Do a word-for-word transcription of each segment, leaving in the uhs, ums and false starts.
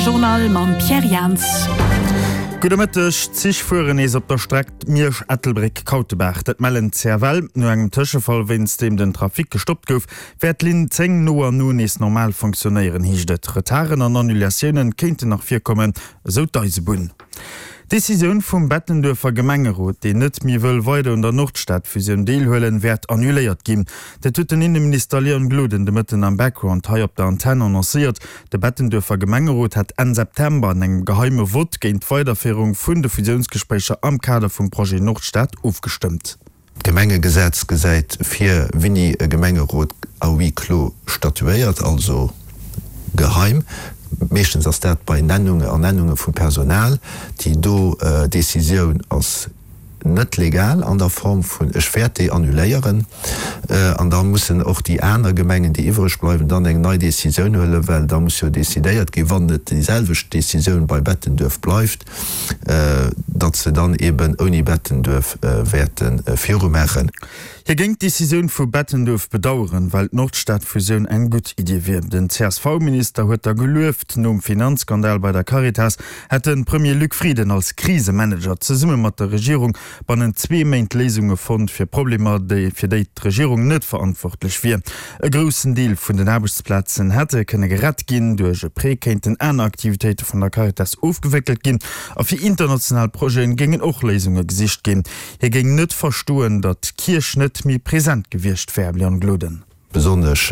Journal mam Pierre Jans. Gudde Mëtteg, Zich fueren nees op der Streck Miersch-Ettelbréck-Kautebaach. Dat mellen d'CFL. No engem Tëschefall, wéinst deem den Trafic gestoppt gouf, wäert d'Linn zéng no an no nees normal fonctionnéieren, heescht et. Retarden an Annulatioune kéinten nach virkommen, esou d'Eisebunn. D'Decisioun vum Bettenduerfer Gemengerot, deen net méi wëll weider un der Nordstad-Fusioun deelhuelen, wäert annuléiert ginn. Dat huet den Inneminister Leon Gloden de Mëtten am Background hei op der Antenn annoncéiert. De Bettenduerfer Gemengerot hat Enn September an engem geheime Vott géint d'Weiderféierung vun de Fusiounsgespréicher am Kader vum Projet Nordstad ofgestëmmt. D'Gemengegesetz gesäit vir, wéini e Gemengerot à huis clos statuéiert, also geheim. Meeschtens ass dat bei Nennunge, Ernennunge vum Personal. Déi do Decisioun ass net legal an der Form vun, ech wäert déi annuléieren. An da mussen och déi aner Gemengen, déi iwwreg bleiwen, dann eng nei Decisioun huelen, well da muss jo decidéiert ginn, wann et déi selwecht Decisioun bei Bettenduerf bleift, datt se dann eben ouni Bettenduerf wäerte virumaachen. Hie géing d'Decisioun vu Bettenduerf bedaueren, well d'Nordstad-Fusioun eng gutt Iddi wier. Den C S V-Minister huet da gelueft, nom Finanzskandal bei der Caritas hätt de Premier Luc Frieden als Krisemanager zesumme mat der Regierung bannent zwee Méint Léisunge fonnt fir Problemer, déi fir déi d'Regierung net verantwortlech wier. E groussen Deel vun den Aarbechtsplazen hätte kënne gerett ginn, duerch e Prêt kéinten aner Aktivitéite vun der Caritas ofgewéckelt ginn a fir international Projeten géingen och Léisunge gesicht ginn. Hie géing net verstoen, datt d'Kierch net méi present gewiescht wär, Leon Gloden. Besonnesch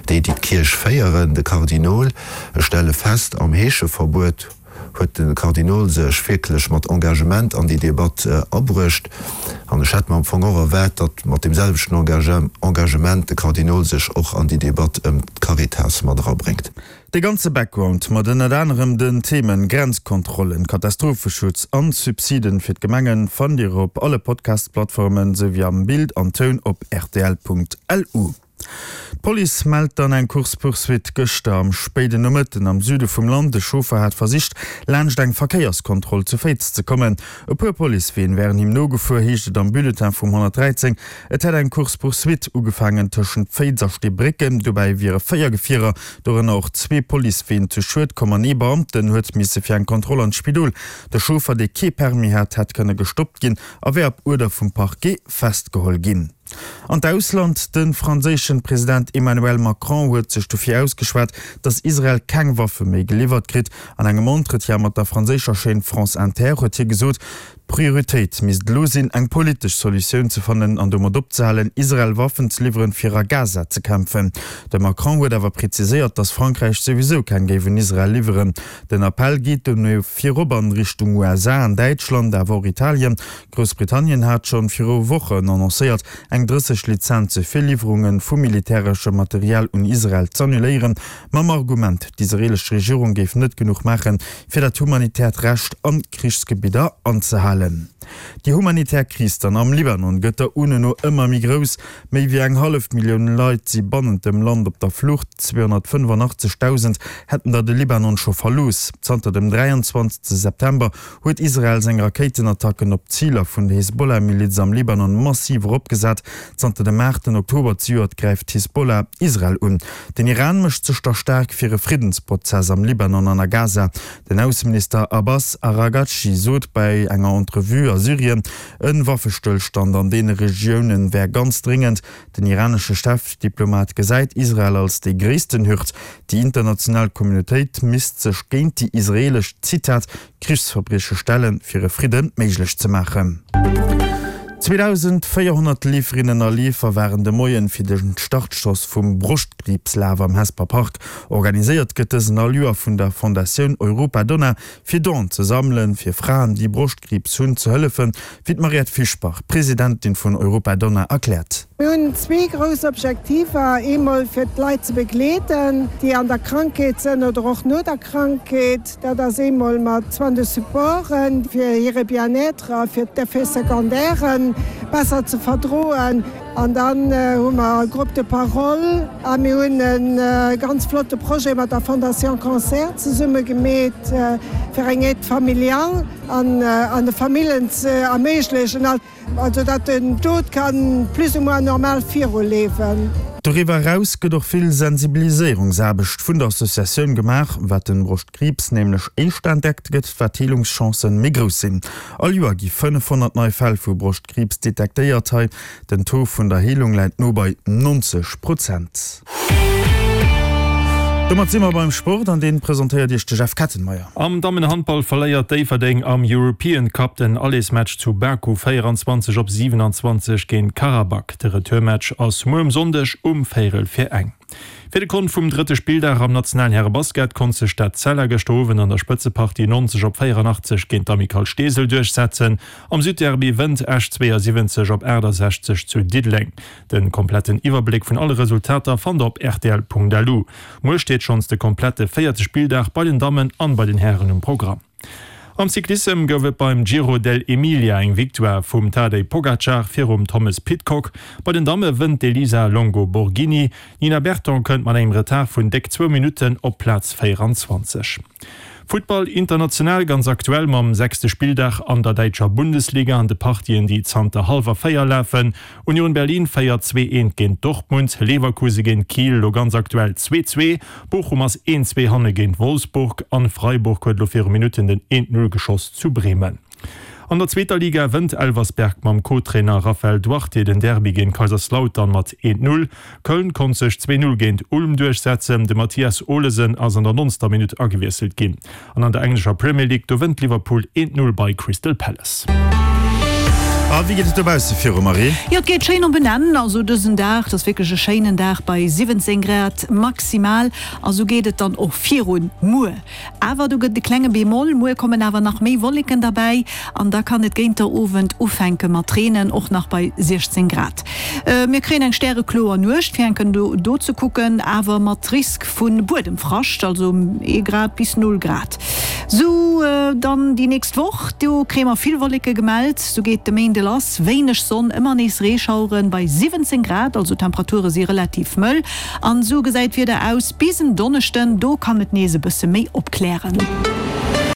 déi, déi d'Kierch féieren, de Kardinol. Ech stelle fest, am Heescheverbuet huet de Kardinol sech wierklech mat Engagement an déi Debatt abruecht. An ech hätt mer am Fong och erwaart, datt mat deem selwechten Engagement de Kardinol sech och an déi Debatt ëm d'Caritas mat erabréngt. De ganze Background mat ënnert anerem den Themen Grenzkontrollen, Katastropheschutz an Subsiden fir d'Gemengen fannt Dir op alle Podcast-Plattformen souwéi am Bild an Toun op rtl Punkt L U. D'Police mellt dann eng Course-poursuite gëschter am spéiden Nomëtten am Süde vum Land. De Chauffer hat versicht, laanscht eng Verkéierskontroll zu Féiz ze kommen. E puer Policeween wären him nogefuer, heescht et am Bulletin vum honnertdräizéng. Et hätt eng Course-poursuite ugefaangen tëschent Féiz a Steebrécken. Dobäi wiere véier Gefierer, dorënner och zwee Policeween, zu Schued komm an ee Beamten huet misse fir eng Kontroll an d'Spidol. De Chauffer, dee kee Permis hat, hätt kënne gestoppt ginn a wär op Uerder vum Parquet festgeholl ginn. An d'Ausland, De franséischen President Emmanuel Macron huet sech dofir ausgeschwat, datt Israel keng Waffe méi geliwwert kritt. An engem Entretien mat der franséischer Chaîne France Inter huet hie gesot, d'Prioritéit misst elo sinn, eng politesch Solutioun ze fannen an domat opzehalen, Israel Waffen ze liwweren, fir a Gaza ze kämpfen. De Macron huet awer präziséiert, datt Frankräich souwisou keng géif un Israel liwweren. Den Appell geet dono virop an Richtung U S A an Däitschland, awer och Italien. Groussbritannien hat schonn viru Wochen annoncéiert, eng drësseg Lizenze fir Liwwerunge vu militäreschem Material un Israel z'annuléieren, mam Argument, d'israeelesch Regierung géif net genuch maachen, fir dat humanitäert Recht an Krichsgebidder anzehalen. Déi humanitär Kris dann am Libanon gëtt der UNO no ëmmer méi grouss. Méi wéi eng hallef Millioun Leit si bannent dem Land op der Flucht, zweehonnertfënnefanachtzeghdausend hätten der de Libanon scho verlooss. Zanter dem dräianzwanzegste September huet Israel seng Rakéitenattacken op Ziler vun der Hisbollah-Miliz am Libanon massiv eropgesat. Zanter dem aachten Oktober zejoert gräift d'Hisbollah Israel un. Den Iran mécht sech da staark fir e Friddensprozess am Libanon an a Gaza. Den Ausseminister Abbas Araghchi sot bei enger Entrevue a Syrien, e Waffestëllstand an deene Regioune wär ganz dréngend. Den iranesche Chefdiplomat gesäit Israel als déi gréissten Hürd. Déi international Communautéit misst sech géint déi israeelesch, Zitat, Krichsverbrieche stellen, fir e Fridde méiglech ze maachen. zweedausendvéierhonnert Leeferinnen a Leefer waren de Moien fir de Startschoss vum Broschtkriibslaf am Hesper Park. Organiséiert gëtt dësen all Joer vun der Fondatioun Europa Donna, fir Donen ze sammelen, fir Fraen, déi Broschtkriibs hunn, ze hëllefen, wéi d'Mariette Fischbach, Presidentin vun Europa Donna, erkläert. Mir hunn zwee grouss Objektiver, eemol fir d'Leit ze begleeden, déi an der Krankheet sinn oder och no der Krankheet. Dat ass eemol mat Soins de supporten, fir hire Bien-être a fir d'Effets secondairen besser ze verdroen. An dann hu mer e Groupe de parole a mir hunn e ganz flotte Projet mat der Fondation Cancer zesumme gemeet, fir eng Aide familiale an de Famillen ze erméiglechen, also datt den Doud ka plus ou moins normal viruleefen. Doriwwer eraus gëtt och vill Sensibiliséierungsaarbecht vun der Associatioun gemaach. Wat den Broschtkriibs nämlech éischter entdeckt gëtt, wat d'Heelungschancen méi grouss sinn. All Joer gi fënnefhonnert nei Fäll vu Broschtkriibs detektéiert. Hei den Taux vun der Heelung läit no bei neunzeg Prozent. Domat si mer beim Sport an dee presentéiert Iech de Jeff Kettenmeyer. Am Dammenhandball verléiert Déifferdeng am European Cup den Allersmatch zu Baku véieranzwanzeg op siwenanzwanzeg géint Karabakh. De Retourmatch ass muer um Sonndeg um véierel vir eng. Fir de Kont vum drëtte Spilldag am nationalen Härebasket konnt sech d'Etzella gëschter Owend an der Spëtzepartie neunzeg op véierunachtzeg géint d'Amicale Steesel duerchsetzen. Am Südderby wënnt Esch zweeënsiwwenzeg op aachtasechzeg zu Diddeleng. De kompletten Iwwerbléck vun alle Resultater fannt der op rtl.lu. Muer steet schonns de komplette véierte Spilldag bei den Dammen an bei den Hären um Programm. Am Cyclissem gouf et beim Giro dell'Emilia eng Victoire vum Tadej Pogacar virum Thomas Pidcock. Bei den Damme wënnt d'Elisa Longo Borghini. D'Nina Berton kënnt mat engem Retard vun déck zwou Minutten op Plaz véieranzwanzeg. Futtball international ganz aktuell mam sechste Spilldag an der däitscher Bundesliga an de Partien, déi zanter hallwer véier lafen. Union Berlin féiert zwee eent géint Dortmund, Leverkusen géint Kiel elo ganz aktuell zwee zwee, Bochum ass een zwee hanne géint Wolfsburg an Freiburg huet elo viru Minutten den eent Null geschoss zu Bremen. An der zweeter Liga wënnt Elversberg mam Co-Trainer Raphael Duarte den Derby géint Kaiserslautern mat eent Null. Köln konnt sech zwee Null géint Ulm duerchsetzen. De Mathias Olesen ass an der nonster Minutt agewiesselt ginn. An an der englescher Premier League, do wënnt Liverpool eent Null bei Crystal Palace. A wéi geet et dobausse viru, Marie? Jo, et geet schéin op en Enn. Also dësen Dag, et ass wierklech e schéinen Dag bei siwwenzéng Grad maximal. A sou geet et dann och virun muer. Awer do gëtt et e klenge Bémol, muer kommen awer nach méi Wolleken derbäi an da kann et géint der Owend ufänke mat reenen, och nach bei siechzéng Grad. Mir kréien eng stärekloer Nuecht, fir enken do ze kucken, awer mat Risk vu Buedemfrascht, also ee Grad bis null Grad. Sou, dann déi nächst Woch, do kréie mer vill Wolleke gemellt, sou geet de Méinde lass, wéineg Sonn, ëmmer nees Reeschaueren bei siwwenzéng Grad, also d'Temperature si relativ mëll. An sou gesäit d'Wieder aus bis en Donneschden, do kann et nees e bësse méi opklären.